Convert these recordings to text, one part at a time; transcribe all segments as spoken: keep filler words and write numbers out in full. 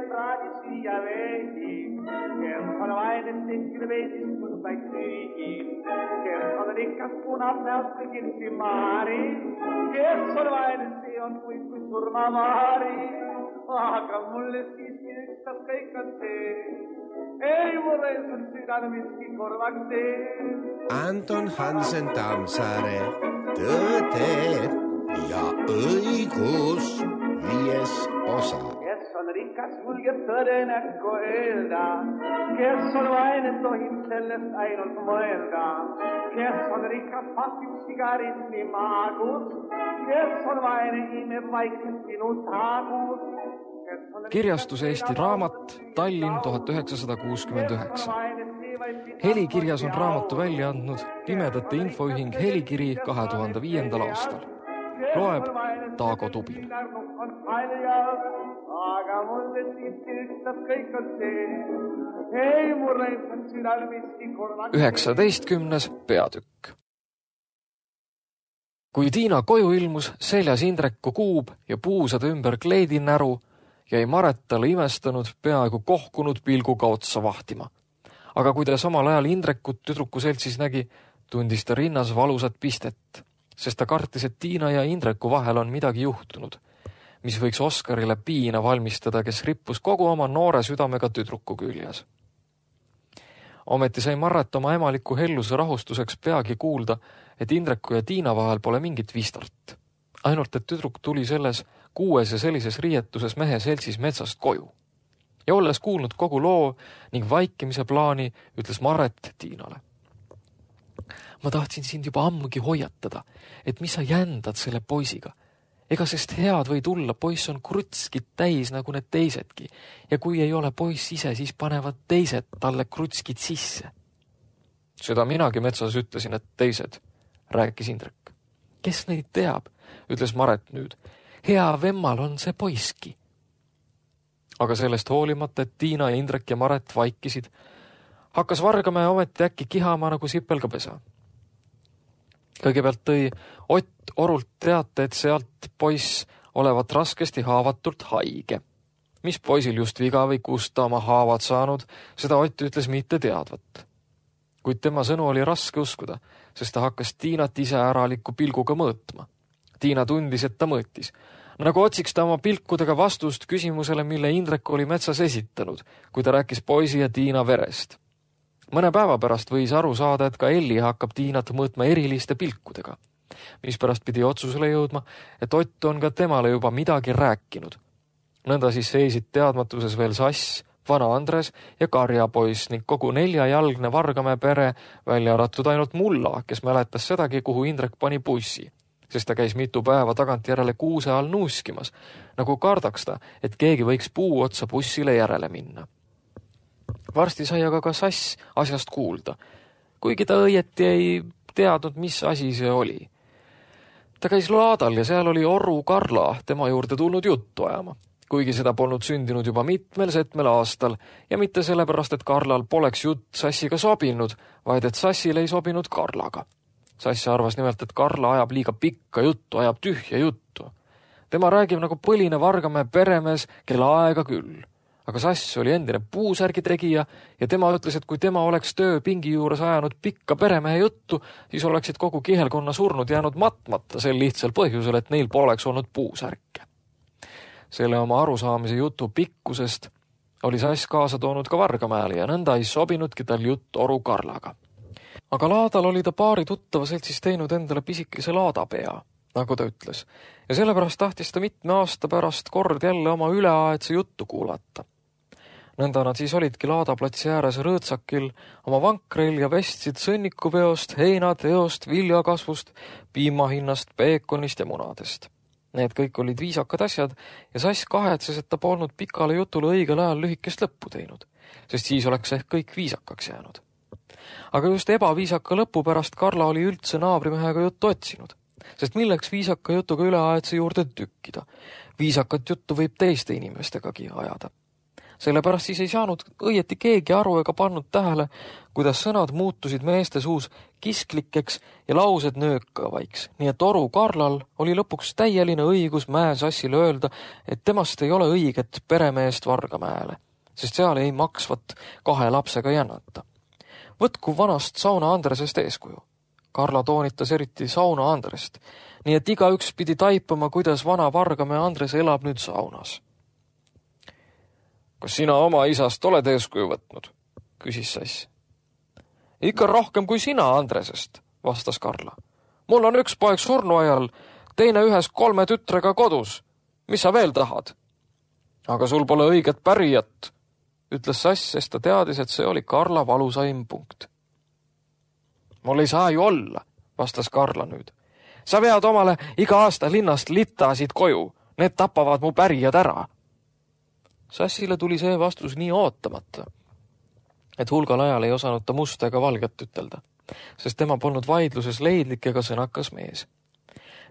praadi siia veidi, kes on vaene tehtil veidis mõndaid süügi, kes on rikas punab näost kõigilsi maari, kes on vaene see on kuid kui surmamaari, aga mulle siiski ükstas kõik on see, ei mulle on südane miski korvaks tee. Anton Hansen Tammsaare, Tõde ja õigus, viies osa. Kes on rikas, julgeb tõde näkku öelda, kes on vaene, tohib sellest ainult mõelda, kes on rikas, pasib sigaretti maagus, kes on vaene, imeb vaikselt sinu taagus. Kirjastus Eesti Raamat, Tallinn tuhat üheksasada kuuskümmend üheksa. Helikirjas on raamatu välja andnud Pimedate Infoühing Helikiri kahe tuhande viiendal aastal. Loeb Taago Tubin. Aga mulle siiski ükstas kõik on see, ei mulle on südal miski korvaks. üheksateistkümnes peatükk. Kui Tiina koju ilmus, seljas Indreku kuub ja puusade ümber kleedinäru, jäi Maret talle imestanud, peaaegu kohkunud pilguga otsa vahtima. Aga kui ta samal ajal Indrekut tüdruku seltsis nägi, tundis ta rinnas valusat pistet, sest ta kartis, et Tiina ja Indreku vahel on midagi juhtunud, mis võiks Oskarile piina valmistada, kes rippus kogu oma noore südamega tüdruku küljes. Ometi sai Maret oma emaliku helluse rahustuseks peagi kuulda, et Indreku ja Tiina vahel pole mingit vistart. Ainult, et tüdruk tuli selles kuues ja sellises riietuses mehe seltsis metsast koju. Ja olles kuulnud kogu loo ning vaikimise plaani, ütles Maret Tiinale. Ma tahtsin sind juba ammugi hoiatada, et mis sa jändad selle poisiga. Ega sest head või tulla, poiss on krutskid täis nagu need teisedki. Ja kui ei ole poiss ise, siis panevad teised talle krutskid sisse. Seda minagi metsas ütlesin, et teised, rääkis Indrek. Kes neid teab, ütles Maret nüüd. Hea vemmal on see poiski. Aga sellest hoolimata, et Tiina ja Indrek ja Maret vaikisid, hakkas Vargamäe ometi äkki kihama nagu sipelgapesa. Kõigepealt tõi Ott Orult teate, et sealt poiss olevat raskesti haavatult haige. Mis poisil just viga või kust ta oma haavad saanud, seda Ott ütles mitte teadvat. Kuid tema sõnu oli raske uskuda, sest ta hakkas Tiinat ise äraliku pilguga mõõtma. Tiina tundis, et ta mõõtis. Nagu otsiks ta oma pilkudega vastust küsimusele, mille Indrek oli metsas esitanud, kui ta rääkis poisi ja Tiina verest. Mõne päeva pärast võis aru saada, et ka Elli hakkab Tiinat mõõtma eriliste pilkudega, mis pärast pidi otsusele jõudma, et Ott on ka temale juba midagi rääkinud. Nõnda siis seisid teadmatuses veel Sass, vana Andres ja Karjapoiss ning kogu neljajalgne Vargamäe pere, välja arvatud ainult Mulla, kes mäletas sedagi, kuhu Indrek pani bussi, sest ta käis mitu päeva tagantjärele kuuse all nuuskimas, nagu kardaks ta, et keegi võiks puu otsa bussile järele minna. Varsti sai aga ka Sass asjast kuulda, kuigi ta õieti ei teadnud, mis asi see oli. Ta käis laadal ja seal oli Oru Karla tema juurde tulnud juttu ajama, kuigi seda polnud sündinud juba mitmel setmel aastal ja mitte sellepärast, et Karlal poleks jutt Sassiga sobinud, vaid et Sassil ei sobinud Karlaga. Sass arvas nimelt, et Karla ajab liiga pikka juttu, ajab tühja juttu. Tema räägib nagu põline Vargamäe peremees, kelle aega küll. Aga Sass oli endine puusärgi tegija ja tema ütles, et kui tema oleks tööpingi juures ajanud pikka peremehe juttu, siis oleksid kogu kihelkonna surnud jäänud matmata sel lihtsal põhjusel, et neil poleks olnud puusärke. Selle oma arusaamise jutu pikkusest oli Sass kaasa toonud ka Vargamäele ja nõnda ei sobinudki tal jutt Oru Karlaga. Aga laadal oli ta paari tuttava seltsis teinud endale pisikese laadapea, nagu ta ütles, ja sellepärast tahtis ta mitme aasta pärast kord jälle oma üleaetse juttu kuulata. Nõnda nad siis olidki laadaplatsi ääres rõõtsakil oma vankreil ja vestsid sõnnikupeost, heinateost, viljakasvust, piimahinnast, peekonist ja munadest. Need kõik olid viisakad asjad ja Sass kahetses, et ta polnud pikale jutule õigel ajal lühikest lõppu teinud, sest siis oleks ehk kõik viisakaks jäänud. Aga just ebaviisaka lõpu pärast Karla oli üldse naabrimehega juttu otsinud, sest milleks viisaka jutuga üleaetse juurde tükkida. Viisakat juttu võib teiste inimestegagi ajada. sellepärast siis ei saanud õieti keegi aru ega pannud tähele, kuidas sõnad muutusid meeste suus kisklikeks ja laused nöökavaiks, nii et Oru Karlal oli lõpuks täieline õigus Mäesassile öelda, et temast ei ole õiget peremeest Vargamäele, sest seal ei maksvat kahe lapsega jännata. Võtku vanast Sauna Andresest eeskuju. Karla toonitas eriti Sauna Andrest, nii et igaüks pidi taipama, kuidas vana Vargamäe Andres elab nüüd saunas. Kas sina oma isast oled eeskuju võtnud? Küsis Sass. Ikka rohkem kui sina Andresest, vastas Karla. Mul on üks poeg surnuajal, teine ühes kolme tütrega kodus. Mis sa veel tahad? Aga sul pole õiget pärijat, ütles Sass, sest ta teadis, et see oli Karla valusaim punkt. Mul ei saa ju olla, vastas Karla nüüd. Sa vead omale iga aasta linnast litasid koju, need tapavad mu pärijad ära. Sassile tuli see vastus nii ootamata, et hulgal ajal ei osanud ta musta ega valget ütelda, sest tema polnud vaidluses leidlik ega sõnakas mees.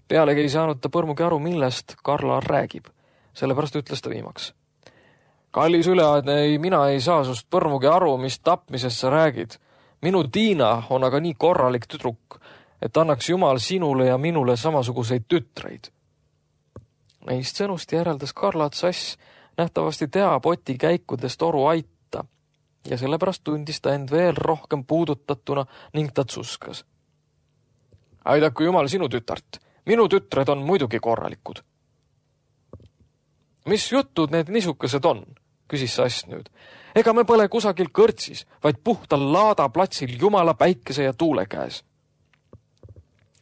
Pealegi ei saanud ta põrmugi aru, millest Karla räägib, sellepärast ütles ta viimaks. Kallis üleaedne, ei, mina ei saa sust põrmugi aru, mis tapmisest sa räägid. Minu Tiina on aga nii korralik tüdruk, et annaks Jumal sinule ja minule samasuguseid tütreid. Neist sõnust järeldas Karla, et Sass nähtavasti teab Oti käikudest Oru aita ja sellepärast tundis ta end veel rohkem puudutatuna ning ta tsuskas. Aidaku Jumal sinu tütart, minu tütred on muidugi korralikud. Mis jutud need niisukesed on, küsis Sass nüüd. Ega me pole kusagil kõrtsis, vaid puhtal laada platsil Jumala päikese ja tuule käes.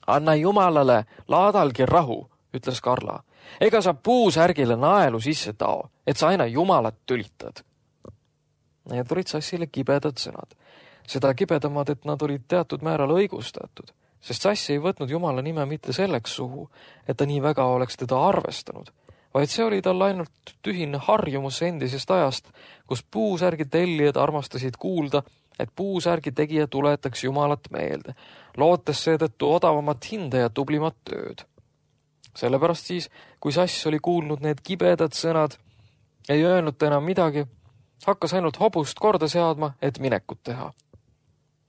Anna Jumalale laadalgi rahu, ütles Karla. Ega sa puusärgile naelu sisse tao, et sa aina Jumalat tülitad. Need olid Sassile kibedad sõnad. Seda kibedamad, et nad olid teatud määral õigustatud, sest Sass ei võtnud Jumala nime mitte selleks suhu, et ta nii väga oleks teda arvestanud, vaid see oli tal ainult tühine harjumus endisest ajast, kus puusärgi tellijad armastasid kuulda, et puusärgi tegija tuletaks Jumalat meelde, lootes seetõttu odavamat hinda ja tublimat tööd. Sellepärast siis, kui Sass oli kuulnud need kibedad sõnad, ei öelnud ta enam midagi, hakkas ainult hobust korda seadma, et minekut teha.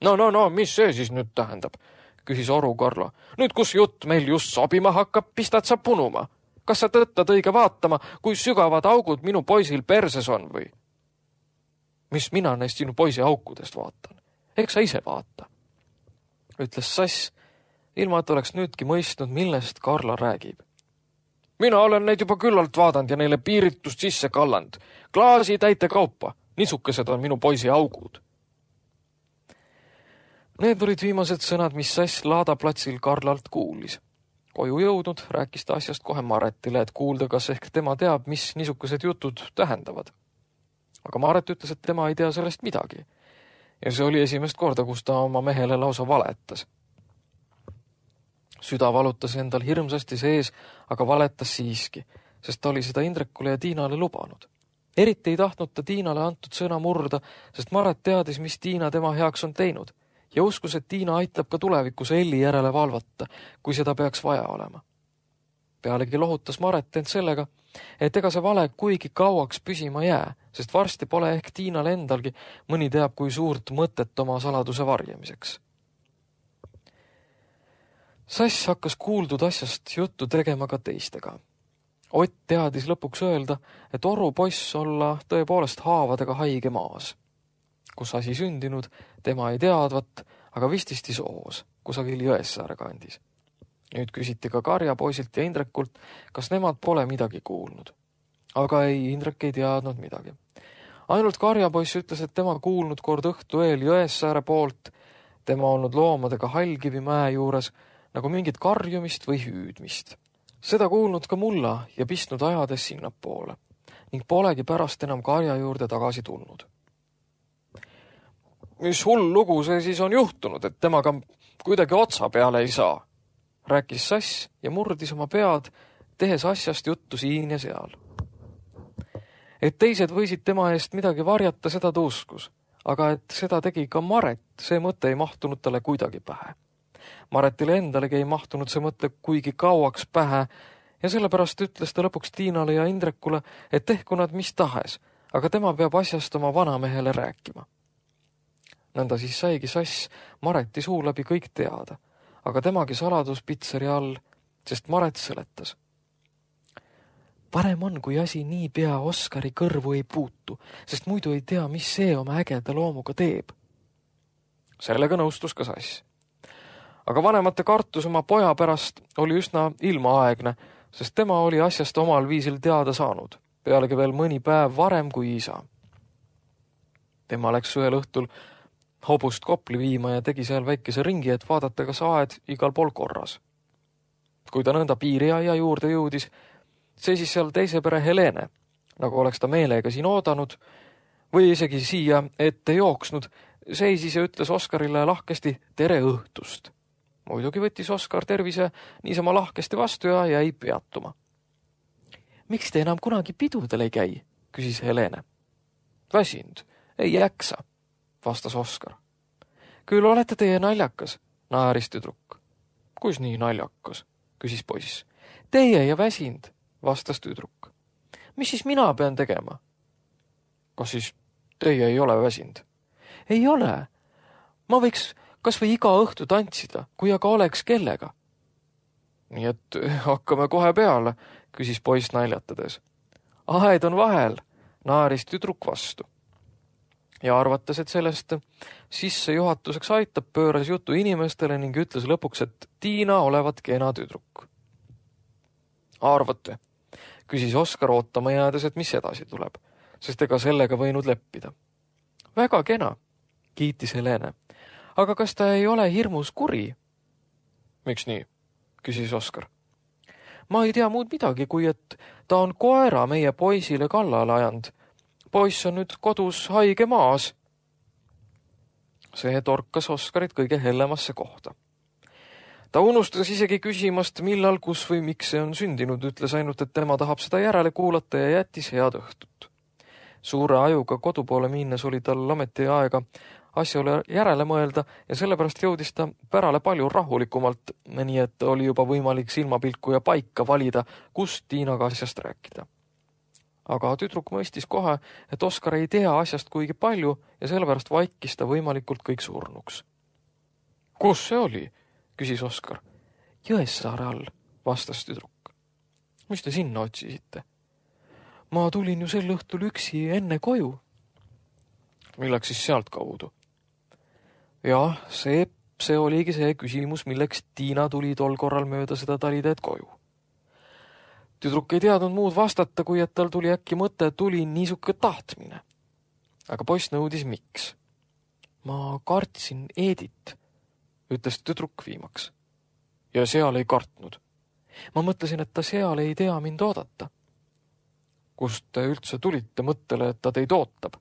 No, no, no, mis see siis nüüd tähendab, küsis Oru Karla. Nüüd, kus jutt meil just sobima hakkab, pistad sa punuma. Kas sa tõttad õige vaatama, kui sügavad augud minu poisil perses on või? Mis mina neist sinu poisi aukudest vaatan? Eks sa ise vaata, ütles Sass, ilma et oleks nüüdki mõistnud, millest Karla räägib. Mina olen neid juba küllalt vaadanud ja neile piiritust sisse kalland. Klaasi täite kaupa, niisukesed on minu poisi augud. Need olid viimased sõnad, mis Sass laadaplatsil Karlalt kuulis. Koju jõudnud, rääkis ta asjast kohe Maretile, et kuulda, kas ehk tema teab, mis niisugused jutud tähendavad. Aga Maret ütles, et tema ei tea sellest midagi. Ja see oli esimest korda, kus ta oma mehele lausa valetas. Süda valutas endal hirmsasti sees, aga valetas siiski, sest ta oli seda Indrekule ja Tiinale lubanud. Eriti ei tahtnud ta Tiinale antud sõna murda, sest Maret teadis, mis Tiina tema heaks on teinud ja uskus, et Tiina aitab ka tulevikus Elli järele valvata, kui seda peaks vaja olema. Pealegi lohutas Maret end sellega, et ega see vale kuigi kauaks püsima jää, sest varsti pole ehk Tiinal endalgi mõni teab kui suurt mõtet oma saladuse varjamiseks. Sass hakkas kuuldud asjast juttu tegema ka teistega. Ott teadis lõpuks öelda, et Oru poiss olla tõepoolest haavadega haige maas. Kus asi sündinud, tema ei teadvat, aga vististi soos, kusagil Jõessaare kandis. Nüüd küsiti ka Karjapoisilt ja Indrekult, kas nemad pole midagi kuulnud. Aga ei, Indrek ei teadnud midagi. Ainult Karjapoiss ütles, et tema kuulnud kord õhtu eel Jõessaare poolt, tema olnud loomadega Hallkivi mäe juures, nagu mingit karjumist või hüüdmist. Seda kuulnud ka mulla ja pistnud ajades sinnapoole ning polegi pärast enam Karja juurde tagasi tulnud. Mis hull lugu see siis on juhtunud, et temaga kuidagi otsa peale ei saa, rääkis Sass ja murdis oma pead, tehes asjast juttu siin ja seal. Et teised võisid tema eest midagi varjata, seda ta uskus, aga et seda tegi ka Maret, see mõte ei mahtunud talle kuidagi pähe. Maretile endalegi ei mahtunud see mõte kuigi kauaks pähe ja sellepärast ütles ta lõpuks Tiinale ja Indrekule, et tehku nad mis tahes, aga tema peab asjast oma vanamehele rääkima. Nõnda siis saigi Sass Mareti suu läbi kõik teada, aga temagi saladus pitseri all, sest Maret seletas. Parem on, kui asi nii pea Oskari kõrvu ei puutu, sest muidu ei tea, mis see oma ägeda loomuga teeb. Sellega nõustus ka Sass. Aga vanemate kartus oma poja pärast oli üsna ilmaaegne, sest tema oli asjast omal viisil teada saanud, pealegi veel mõni päev varem kui isa. Tema läks ühel õhtul hobust Kopli viima ja tegi seal väikese ringi, et vaadata, kas aed igal pool korras. Kui ta nõnda piiriaia juurde jõudis, seisis seal teise pere Helene, nagu oleks ta meelega siin oodanud või isegi siia ette jooksnud, seisis ja ütles Oskarile lahkesti tere õhtust. Muidugi võttis Oskar tervise niisama lahkesti vastu ja jäi peatuma. Miks te enam kunagi pidudel ei käi, küsis Helene. Väsinud, ei jaksa, vastas Oskar. Küll olete teie naljakas, naeris tüdruk. Kus nii naljakas, küsis poiss. Teie ja väsinud, vastas tüdruk. Mis siis mina pean tegema? Kas siis teie ei ole väsinud? Ei ole. Ma võiks kas või iga õhtu tantsida, kui aga oleks kellega. Nii et hakkame kohe peale, küsis poiss naljatades. Aed on vahel, naaris tüdruk vastu. Ja arvates, et sellest sissejuhatuseks aitab, pööras jutu inimestele ning ütles lõpuks, et Tiina olevat kena tüdruk. Arvate, küsis Oskar ootama jäädes, et mis edasi tuleb, sest ega sellega võinud leppida. Väga kena, kiitis Helene. Aga kas ta ei ole hirmus kuri? Miks nii? Küsis Oskar. Ma ei tea muud midagi, kui et ta on koera meie poisile kallale ajanud. Poiss on nüüd kodus haige maas. See torkas Oskarit kõige hellemasse kohta. Ta unustas isegi küsimast, millal, kus või miks see on sündinud, ütles ainult, et tema tahab seda järele kuulata ja jättis head õhtut. Suure ajuga kodupoole minnes oli tal ameti aega asjale järele mõelda ja sellepärast jõudis ta pärale palju rahulikumalt, nii et oli juba võimalik silmapilku ja paika valida, kust Tiinaga asjast rääkida. Aga tüdruk mõistis kohe, et Oskar ei tea asjast kuigi palju ja sellepärast vaikis ta võimalikult kõik surnuks. Kus see oli? Küsis Oskar. Jõessaare all, vastas tüdruk. Mis te sinna otsisite? Ma tulin ju sel õhtul üksi enne koju. Milleks siis sealt kaudu? Jah, see, see oligi see küsimus, milleks Tiina tuli tol korral mööda seda talideed koju. Tüdruk ei teadnud muud vastata, kui et tal tuli äkki mõte, tuli niisuke tahtmine. Aga poiss nõudis miks. Ma kartsin Eedit, ütles tüdruk viimaks. Ja seal ei kartnud. Ma mõtlesin, et ta seal ei tea mind oodata. Kust te üldse tulite mõttele, et ta teid ootab?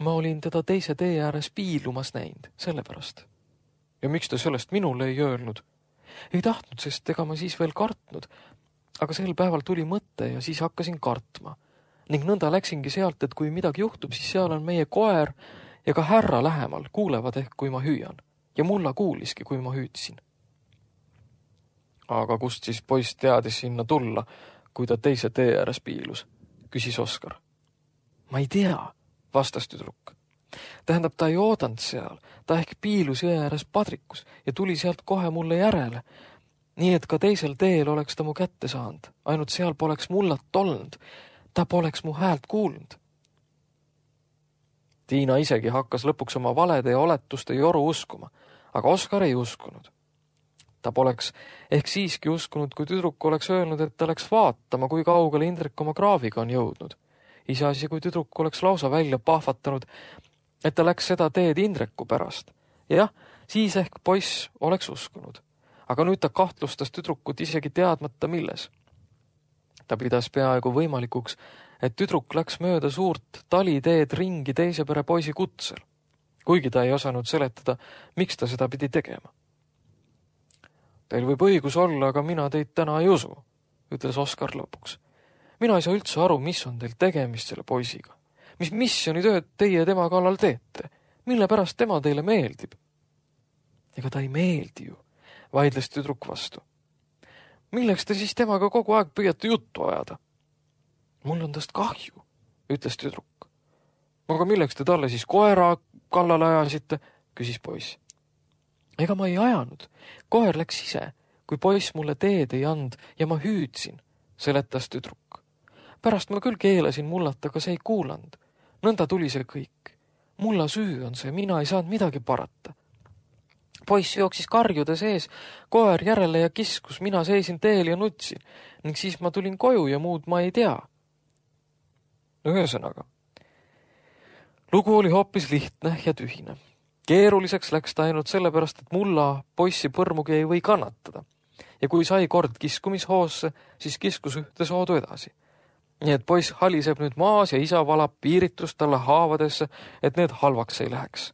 Ma olin teda teise tee ääres piilumas näinud, sellepärast. Ja miks te sellest minule ei öelnud? Ei tahtnud, sest ega ma siis veel kartnud. Aga sel päeval tuli mõte ja siis hakkasin kartma. Ning nõnda läksingi sealt, et kui midagi juhtub, siis seal on meie koer ja ka härra lähemal, kuulevad ehk, kui ma hüüan. Ja mulla kuuliski, kui ma hüüdsin. Aga kust siis poiss teadis sinna tulla, kui ta teise tee ääres piilus, küsis Oskar. Ma ei tea, vastas tüdruk. Tähendab, ta ei oodanud seal, ta ehk piilus jõe ääres padrikus ja tuli sealt kohe mulle järele. Nii et ka teisel teel oleks ta mu kätte saanud, ainult seal poleks mullat olnud, ta poleks mu häält kuulnud. Tiina isegi hakkas lõpuks oma valede ja oletuste joru uskuma, aga Oskar ei uskunud. Ta poleks ehk siiski uskunud, kui tüdruk oleks öelnud, et ta läks vaatama, kui kaugele Indrek oma kraaviga on jõudnud. Iseasi, kui tüdruk oleks lausa välja pahvatanud, et ta läks seda teed Indreku pärast. Ja jah, siis ehk poiss oleks uskunud. Aga nüüd ta kahtlustas tüdrukut isegi teadmata milles. Ta pidas peaaegu võimalikuks, et tüdruk läks mööda suurt taliteed ringi teise pere poisi kutsel, kuigi ta ei osanud seletada, miks ta seda pidi tegema. Teil võib õigus olla, aga mina teid täna ei usu, ütles Oskar lõpuks. Mina ei saa üldse aru, mis on teil tegemist selle poisiga. Mis missionitööd teie tema kallal teete? Mille pärast tema teile meeldib? Ega ta ei meeldi ju, vaidles tüdruk vastu. Milleks te siis temaga kogu aeg püüate juttu ajada? Mul on tast kahju, ütles tüdruk. Aga milleks te talle siis koera kallale ajasite, küsis poiss. Ega ma ei ajanud. Koer läks ise, kui poiss mulle teed ei and ja ma hüüdsin, seletas tüdruk. Pärast ma küll keelasin mullata, aga see ei kuulanud. Nõnda tuli see kõik. Mulla süü on see, mina ei saanud midagi parata. Poiss jooksis karjude sees, koer järele ja kiskus, mina seisin teel ja nutsin, ning siis ma tulin koju ja muud ma ei tea. Ühesõnaga, lugu oli hoopis lihtne ja tühine. Keeruliseks läks ta ainult sellepärast, et mulla poissi põrmugi ei või kannatada. Ja kui sai kord kiskumishoosse, siis kiskus ühte soodu edasi. Nii et poiss haliseb nüüd maas ja isa valab piiritust talle haavadesse, et need halvaks ei läheks.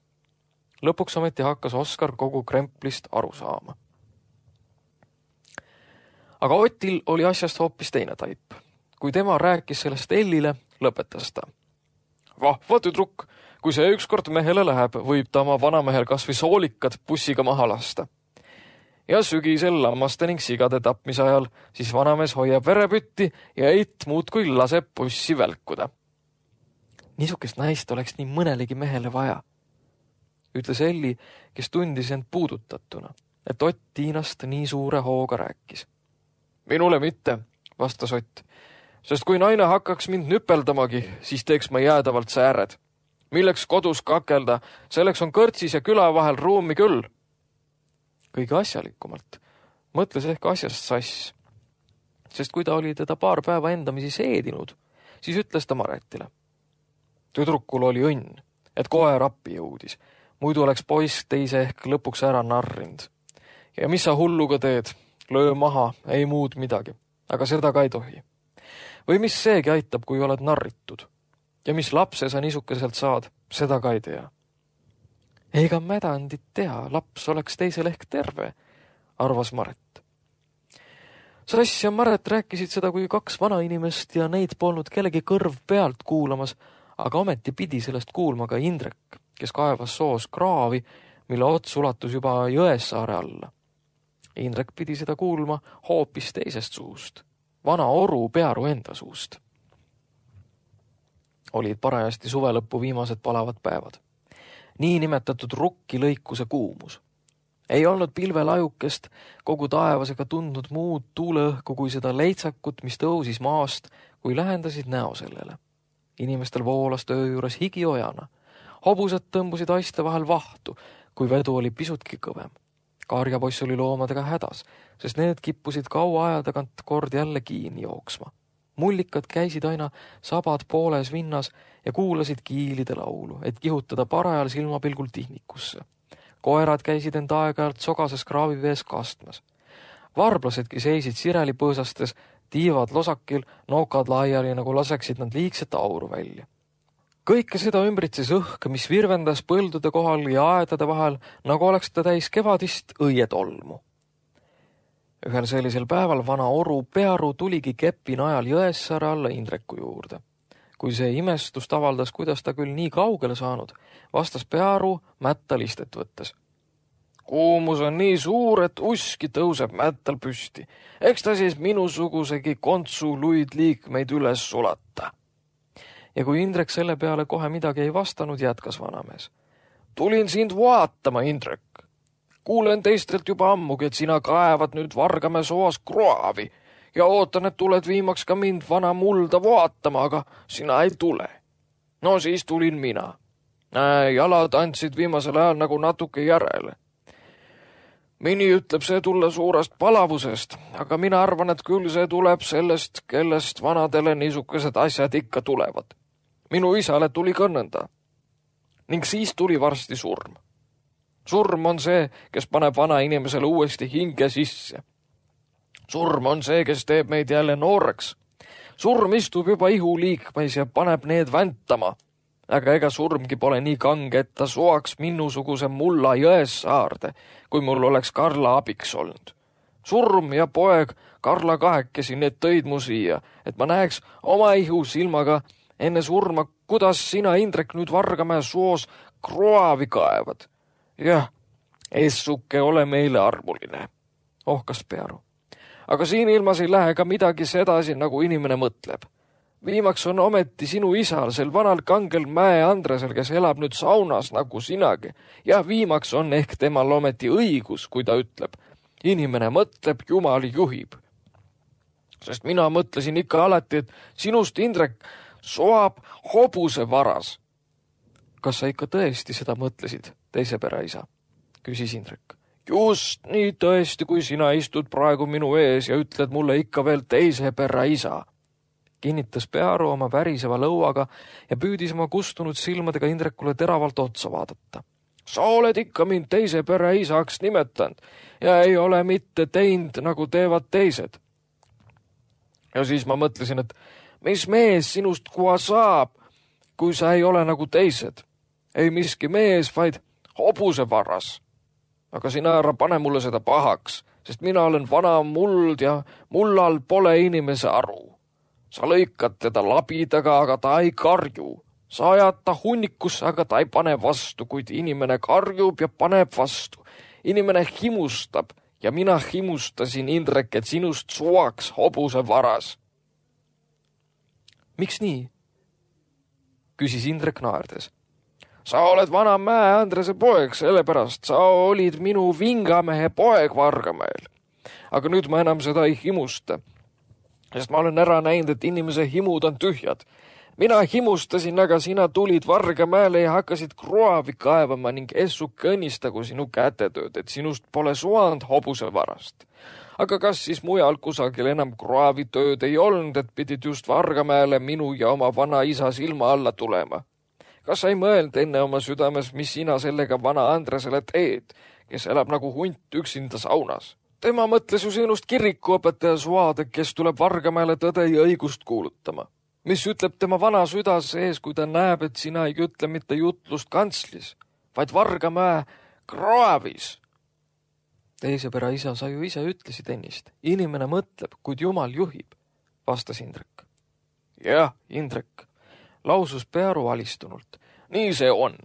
Lõpuks ometi hakkas Oskar kogu kremplist aru saama. Aga Otil oli asjast hoopis teine taip. Kui tema rääkis sellest Ellile, lõpetas ta. Vahva tüdruk, kui see ükskord mehele läheb, võib ta oma vanamehel kas või soolikad bussiga maha lasta. Ja sügisel lammaste ning sigade tapmise ajal, siis vanamees hoiab verepütti ja eit muudkui laseb bussi välkuda. Niisugust naist oleks nii mõnelegi mehele vaja, ütles Elli, kes tundis end puudutatuna, et Ott Tiinast nii suure hooga rääkis. Minule mitte, vastas Ott, sest kui naine hakkaks mind nüpeldamagi, siis teeks ma jäädavalt sääred. Milleks kodus kakelda, selleks on kõrtsis ja küla vahel ruumi küll. Kõige asjalikumalt mõtles ehk asjast sass, sest kui ta oli teda paar päeva endamisi seedinud, siis ütles ta Maretile. Tüdrukul oli õnn, et koer appi jõudis, muidu oleks poiss teise ehk lõpuks ära narrind. Ja mis sa hulluga teed? Löö maha, ei muud midagi, aga seda ka ei tohi. Või mis seegi aitab, kui oled narritud? Ja mis lapse sa niisukeselt saad, seda ka ei tea. Ega mädandit tea, laps oleks teisel ehk terve, arvas Maret. Sass ja Maret rääkisid seda kui kaks vanainimest ja neid polnud kellegi kõrv pealt kuulamas, aga ometi pidi sellest kuulma ka Indrek, kes kaevas soos kraavi, mille ots ulatus juba Jõesaare alla. Indrek pidi seda kuulma hoopis teisest suust, vana oru Pearu enda suust. Olid parajasti suvelõppu viimased palavad päevad. Nii nimetatud rukki lõikuse kuumus. Ei olnud pilvelajukest kogu taevasega tundnud muud tuuleõhku kui seda leitsakut, mis tõusis maast, kui lähendasid näo sellele. Inimestel voolas töö juures higiojana. Hobused tõmbusid aiste vahel vahtu, kui vedu oli pisutki kõvem. Karjapoiss oli loomadega hädas, sest need kippusid kaua aja tagant kord jälle kiini jooksma. Mullikad käisid aina sabad pooles vinnas ja kuulasid kiilide laulu, et kihutada parajal silmapilgul tihnikusse. Koerad käisid end aeg-ajalt sogases kraavivees kastmas. Varblasedki seisid sireli põõsastes, tiivad losakil, nokad laiali, nagu laseksid nad liigset auru välja. Kõike seda ümbritses õhk, mis virvendas põldude kohal ja aedade vahel, nagu oleks ta täis kevadist õietolmu. Ühel sellisel päeval vana oru Pearu tuligi kepi najal Jõesaare alla Indreku juurde. Kui see imestust avaldas, kuidas ta küll nii kaugele saanud, vastas Pearu mätta listet võttes. Kuumus on nii suur, et uski tõuseb mättal püsti. Eks ta siis minusugusegi kontsu luid liikmeid üles sulata. Ja kui Indrek selle peale kohe midagi ei vastanud, jätkas vanamees. Tulin sind vaatama, Indrek. Kuulen teistelt juba ammugi, et sina kaevad nüüd Vargamäe soas kraavi ja ootan, et tuled viimaks ka mind vana mulda vaatama, aga sina ei tule. No siis tulin mina. Näe, jalad andsid viimasel ajal nagu natuke järele. Mini ütleb see tulla suurest palavusest, aga mina arvan, et küll see tuleb sellest, kellest vanadele niisugused asjad ikka tulevad. Minu isale tuli ka nõnda. Ning siis tuli varsti surm. Surm on see, kes paneb vana inimesele uuesti hinge sisse. Surm on see, kes teeb meid jälle nooreks. Surm istub juba ihuliikmeis ja paneb need väntama. Aga ega surmgi pole nii kange, et ta soaks minusuguse mulla Jõesaarde, kui mul oleks Karla abiks olnud. Surm ja poeg Karla kahekesi need tõid mu siia, et ma näeks oma ihu silmaga enne surma, kuidas sina, Indrek, nüüd Vargamäe soos kraavi kaevad. Jah, essuke ole meile armuline, ohkas Pearu. Aga siin ilmas ei lähe ka midagi sedasi, nagu inimene mõtleb. Viimaks on ometi sinu isal, sel vanal kangel Mäe Andresel, kes elab nüüd saunas nagu sinagi. Ja viimaks on ehk temal ometi õigus, kui ta ütleb. Inimene mõtleb, Jumal juhib. Sest mina mõtlesin ikka alati, et sinust, Indrek, soab hobuse varas. Kas sa ikka tõesti seda mõtlesid, teise pereisa? Küsis Indrek. Just nii tõesti, kui sina istud praegu minu ees ja ütled mulle ikka veel teise pereisa. Kinnitas Pearu oma väriseva lõuaga ja püüdis oma kustunud silmadega Indrekule teravalt otsa vaadata. Sa oled ikka mind teise pereisaks nimetanud ja ei ole mitte teinud, nagu teevad teised. Ja siis ma mõtlesin, et mis mees sinust kua saab, kui sa ei ole nagu teised. Ei miski mees, vaid hobuse varas. Aga sina ära pane mulle seda pahaks, sest mina olen vana muld ja mullal pole inimese aru. Sa lõikad teda labidaga, aga ta ei karju. Sa ajad ta hunnikusse, aga ta ei pane vastu, kuid inimene karjub ja paneb vastu. Inimene himustab ja mina himustasin, Indrek, et sinust suaks hobuse varas. Miks nii? Küsis Indrek naerdes. Sa oled vana Mäe Andrese poeg, sellepärast sa olid minu vingamehe poeg Vargamäel. Aga nüüd ma enam seda ei himusta, sest ma olen ära näinud, et inimese himud on tühjad. Mina himustasin, aga sina tulid Vargamäele ja hakkasid kroavi kaevama ning essu kõnnistagu sinu kätetööd, et sinust pole suand hobuse varast. Aga kas siis mujal kusagil enam kroavitööd ei olnud, et pidid just Vargamäele minu ja oma vana isa silma alla tulema? Kas sa ei mõeld enne oma südames, mis sina sellega vana Andresele teed, kes elab nagu hunt üksinda saunas? Tema mõtles ju sinust kirikuõpetaja suade, kes tuleb Vargamäele tõde ja õigust kuulutama. Mis ütleb tema vana süda sees, kui ta näeb, et sina ei ütle mitte jutlust kantslis, vaid Vargamäe kraavis. Teise pere isa, sa ju ise ütlesid ennist. Inimene mõtleb, kuid Jumal juhib, vastas Indrek. Jah, Indrek, lausus Pearu alistunult. Nii see on.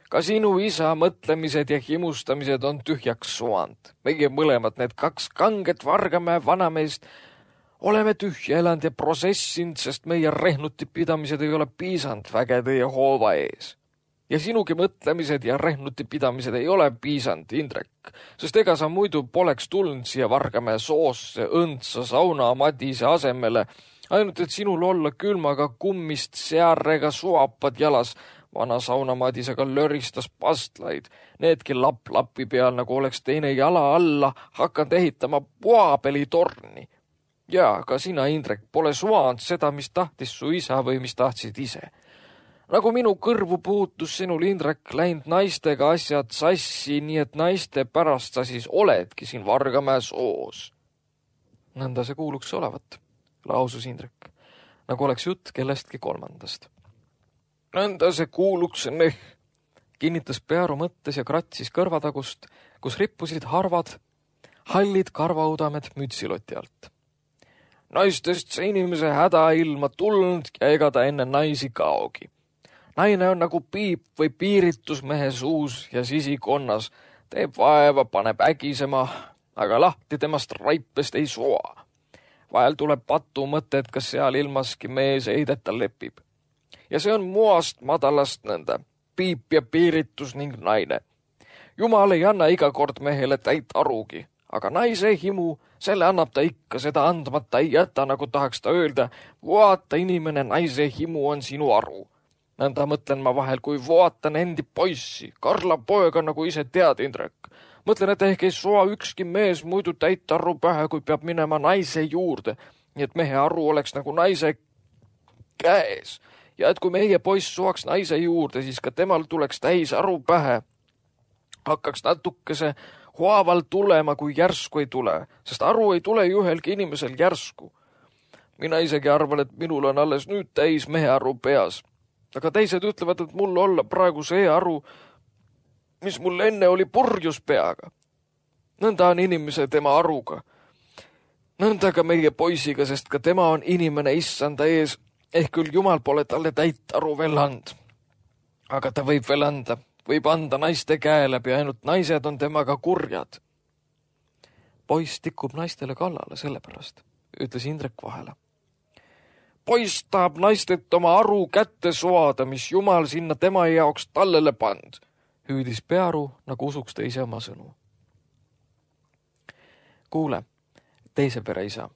Ka sinu isa mõtlemised ja himustamised on tühjaks suand. Meie mõlemad need kaks kanget Vargamäe vanameest oleme tühja elanud ja prossessinud, sest meie rehnutipidamised ei ole piisanud vägede ja hoova ees. Ja sinugi mõtlemised ja rehnutipidamised ei ole piisanud, Indrek, sest ega sa muidu poleks tulnud siia Vargamäe soosse õndsa sauna madise asemele, ainult et sinul olla külmaga kummist searega suapad jalas, vana saunamadisega löristas pastlaid, needki lapp lapi peal, nagu oleks teine jala alla hakanud ehitama puapelitorni. Ja ka sina, Indrek, pole suanud seda, mis tahtis su isa või mis tahtsid ise. Nagu minu kõrvu puutus sinul, Indrek, läinud naistega asjad sassi, nii et naiste pärast sa siis oledki siin Vargamäe soos. Nõnda see kuuluks olevat, lausus Indrek, nagu oleks jutt kellestki kolmandast. Nõnda see kuuluks neh, kinnitas Pearu mõttes ja kratsis kõrvatagust, kus rippusid harvad, hallid karvaudamed mütsiloti alt. Naistest see inimese häda ilma tulnud ja ega ta enne naisi kaogi. Naine on nagu piip või piiritus mehe suus ja sisikonnas, teeb vaeva, paneb ägisema, aga lahti temast raipest ei soa. Vahel tuleb patu mõte, et kas seal ilmaski mees heideta lepib. Ja see on muast madalast nõnda, piip ja piiritus ning naine. Jumal ei anna iga kord mehele täit arugi, aga naise himu, selle annab ta ikka, seda andmata ei jäta, nagu tahaks ta öelda, vaata inimene, naise himu on sinu aru. Nõnda mõtlen ma vahel, kui vaatan endi poissi, Karla poega, nagu ise tead, Indrek. Mõtlen, et ehk ei soa ükski mees muidu täit aru pähe, kui peab minema naise juurde, nii et mehe aru oleks nagu naise käes. Ja et kui meie poiss soaks naise juurde, siis ka temal tuleks täis aru pähe. Hakkaks natukese haaval tulema, kui järsku ei tule, sest aru ei tule ju ühelgi inimesel järsku. Mina isegi arvan, et minul on alles nüüd täis mehe aru peas. Aga teised ütlevad, et mul olla praegu see aru, mis mul enne oli purjus peaga. Nõnda on inimese tema aruga. Nõnda ka meie poisiga, sest ka tema on inimene issanda ees, ehk küll Jumal pole talle täit aru veel and. Aga ta võib veel anda, võib anda naiste käe läbi, ainult naised on temaga kurjad. Poiss tikub naistele kallale sellepärast, ütles Indrek vahele. poiss tahab naistet oma aru kätte soada, mis jumal sinna tema jaoks tallele pand, hüüdis Pearu, nagu usuks ta ise oma sõnu. Kuule, teise pere isa,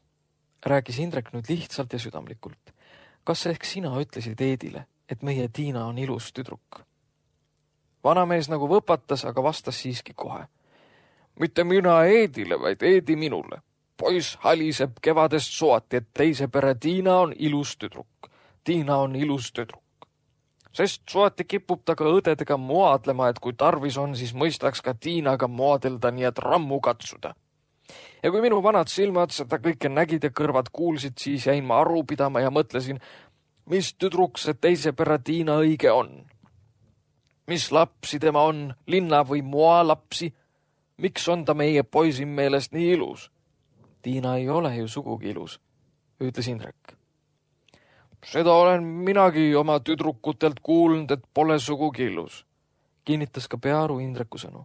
rääkis Indrek nüüd lihtsalt ja südamlikult. Kas ehk sina ütlesid Eedile, et meie Tiina on ilus tüdruk? Vanamees nagu võpatas, aga vastas siiski kohe. Mitte mina Eedile, vaid Eedi minule. Poiss haliseb kevadest soati, et teise pere Tiina on ilus tüdruk. Tiina on ilus tüdruk. Sest soati kipub ta ka õdedega moadlema, et kui tarvis on, siis mõistaks ka Tiinaga moadelda, nii et rammu katsuda. Ja kui minu vanad silmad seda kõike nägid ja kõrvad kuulsid, siis jäin ma aru pidama ja mõtlesin, mis tüdruk see teise pere Tiina õige on. Mis lapsi tema on, linna või moa lapsi? Miks on ta meie poisin meelest nii ilus? Tiina ei ole ju sugugi ilus, ütles Indrek. Seda olen minagi oma tüdrukutelt kuulnud, et pole sugugi ilus, kinnitas ka Pearu Indreku sõnu.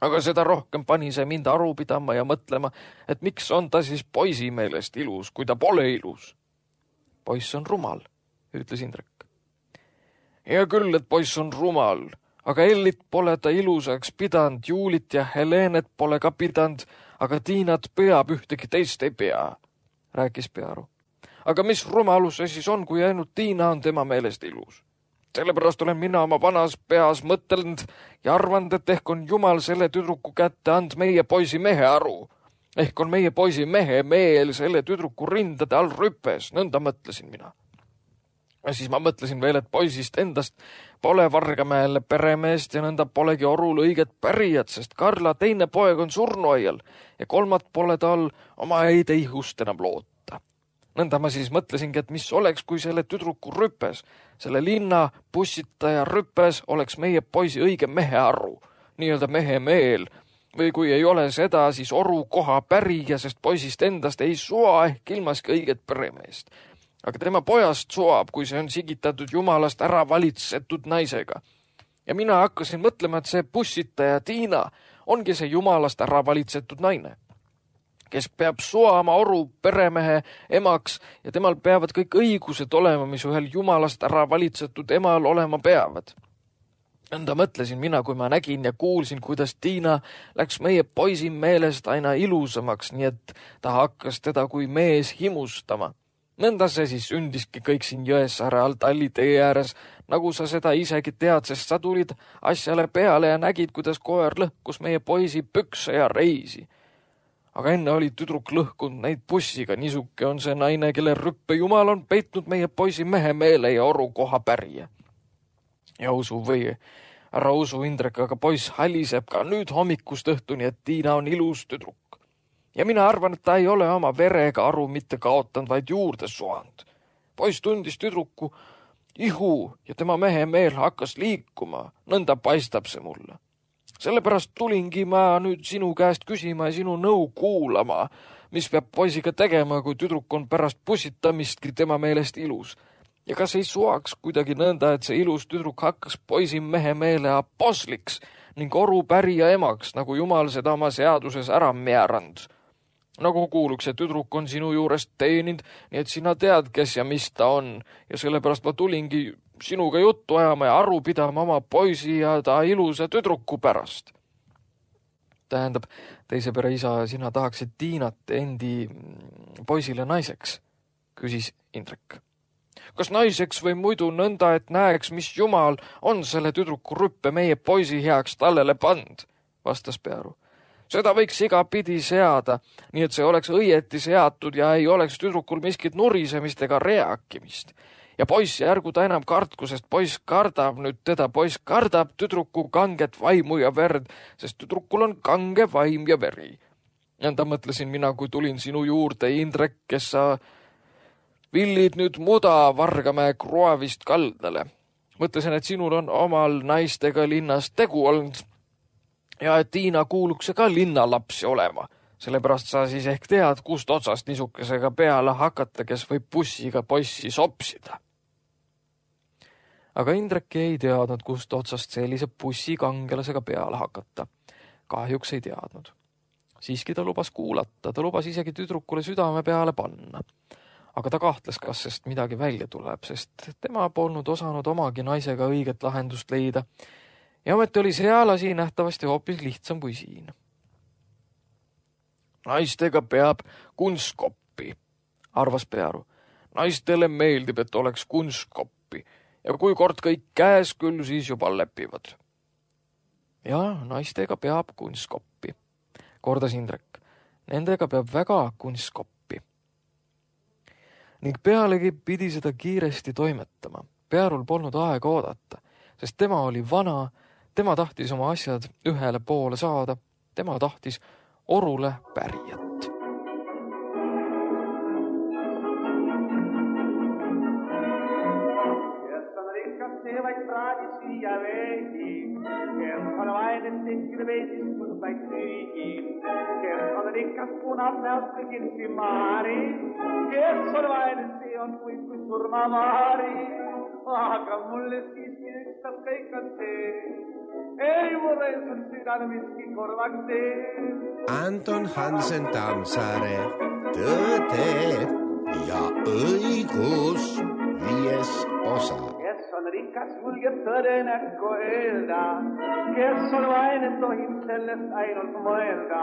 Aga seda rohkem pani see mind aru pidama ja mõtlema, et miks on ta siis poisi meelest ilus, kui ta pole ilus. Poiss on rumal, ütles Indrek. Hea küll, et poiss on rumal, aga Ellit pole ta ilusaks pidanud, Juulit ja Helenet pole ka pidanud, aga Tiinat peab, ühtegi teist ei pea, rääkis Pearu. Aga mis rumalus see siis on, kui ainult Tiina on tema meelest ilus? Sellepärast olen mina oma vanas peas mõtelnud ja arvanud, et ehk on Jumal selle tüdruku kätte and meie poisi mehe aru. Ehk on meie poisi mehe meel selle tüdruku rindade all rüpes, nõnda mõtlesin mina. Ja siis ma mõtlesin veel, et poisist endast pole Vargamäele peremeest ja nõnda polegi Orul õiget pärijat, sest Karla teine poeg on surnuaial ja kolmat pole tal oma häid ihust enam loota. Nõnda ma siis mõtlesingi, et mis oleks, kui selle tüdruku rüpes, selle linna bussitaja rüpes oleks meie poisi õige mehe arru, nii-öelda mehe meel, või kui ei ole seda, siis Oru koha pärija, sest poisist endast ei soa ehk ilmaski õiget peremeest. Aga tema pojast soab, kui see on sigitatud jumalast ära valitsetud naisega. Ja mina hakkasin mõtlema, et see bussitaja Tiina ongi see jumalast ära valitsetud naine, kes peab soama Oru peremehe emaks ja temal peavad kõik õigused olema, mis ühel jumalast ära valitsetud emal olema peavad. Nõnda mõtlesin mina, kui ma nägin ja kuulsin, kuidas Tiina läks meie poisi meelest aina ilusamaks, nii et ta hakkas teda kui mees himustama. Nõnda see siis sündiski kõik siin Jõesaare all Talli tee ääres, nagu sa seda isegi tead, sest sa tulid asjale peale ja nägid, kuidas koer lõhkus meie poisi pükse ja reisi. Aga enne oli tüdruk lõhkunud neid bussiga, niisuke on see naine, kelle rüppe jumal on peitnud meie poisi mehe meele ja Oru koha pärija. Ja usu või, ära usu Indrek, aga poiss haliseb ka nüüd hommikust õhtuni, et Tiina on ilus tüdruk. Ja mina arvan, et ta ei ole oma verega aru mitte kaotanud, vaid juurde soanud. Poiss tundis tüdruku ihu ja tema mehe meel hakkas liikuma, nõnda paistab see mulle. Sellepärast tulingi ma nüüd sinu käest küsima ja sinu nõu kuulama, mis peab poisiga tegema, kui tüdruk on pärast pussitamistki tema meelest ilus. Ja kas ei suaks kuidagi nõnda, et see ilus tüdruk hakkas poisi mehe meele aposliks ning Oru pärija emaks, nagu Jumal seda oma seaduses ära määranud. Nagu kuuluks, see tüdruk on sinu juurest teeninud, nii et sina tead, kes ja mis ta on. Ja sellepärast ma tulingi sinuga juttu ajama ja aru pidama oma poisi ja ta ilusa tüdruku pärast. Tähendab, teise pere isa, sina tahaksid Tiinat endi poisile naiseks, küsis Indrek. Kas naiseks või muidu nõnda, et näeks, mis Jumal on selle tüdruku rüppe meie poisi heaks tallele pand, vastas Pearu. Seda võiks iga pidi seada, nii et see oleks õieti seatud ja ei oleks tüdrukul miskit nurisemist ega reakimist. Ja poiss järgu ta enam kartku, sest poiss kardab nüüd teda, poiss kardab tüdruku kanget vaimu ja verd, sest tüdrukul on kange vaim ja veri. Nõnda mõtlesin mina, kui tulin sinu juurde, Indrek, kes sa villid nüüd muda Vargamäe kroavist kaldale. Mõtlesin, et sinul on omal naistega linnas tegu olnud ja et Tiina kuuluks ka linnalapsi olema. Sellepärast sa siis ehk tead, kust otsast niisukesega peale hakata, kes võib bussiga poissi sopsida. Aga Indrek ei teadnud, kust otsast sellise bussikangelasega peale hakata. Kahjuks ei teadnud. Siiski ta lubas kuulata, ta lubas isegi tüdrukule südame peale panna. aga ta kahtles, kas sest midagi välja tuleb, sest tema polnud osanud omagi naisega õiget lahendust leida ja ometi oli seal asi nähtavasti hoopis lihtsam kui siin. Naistega peab kunstkoppi, arvas Pearu. Naistele meeldib, et oleks kunstkoppi ja kui kord kõik käes, küll siis juba lepivad. Ja naistega peab kunstkoppi, kordas Indrek. Nendega peab väga kunstkoppi. Ning pealegi pidi seda kiiresti toimetama. Pearul polnud aega oodata, sest tema oli vana, tema tahtis oma asjad ühele poole saada, tema tahtis orule pärijat. See vaid praadis viia veegi, kes on vaid tekkinud veesis, kus vaid süügi, kes on rikas punab näost kui kirsimaari, kes on vaid see on kui kui surmavaari, aga mulle siiski ükstas kõik on see, ei mulle sul südal miski korvaks see. Anton Hansen Tammsaare, Tõde ja õigus, viies osa. Kes on rikas, julgeb tõde näkku öelda, kes on vaene, tohib sellest ainult mõelda,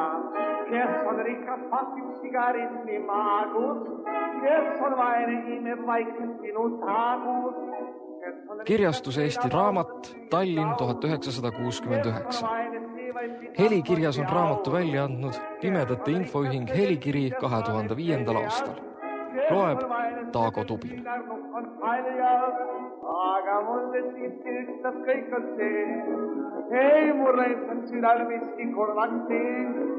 kes on rikas, pakib sigaritni maagus, kes on vaene, imeb vaikselt sinu taagus. Kirjastus Eesti Raamat, Tallinn tuhat üheksasada kuuskümmend üheksa. Helikirjas on raamatu välja andnud Pimedate Infoühing Helikiri kahe tuhande viiendal aastal. Loeb Taago Tubin. Aga mulle siiski ükstas kõik on see, ei mulle on südal miski korvaks see.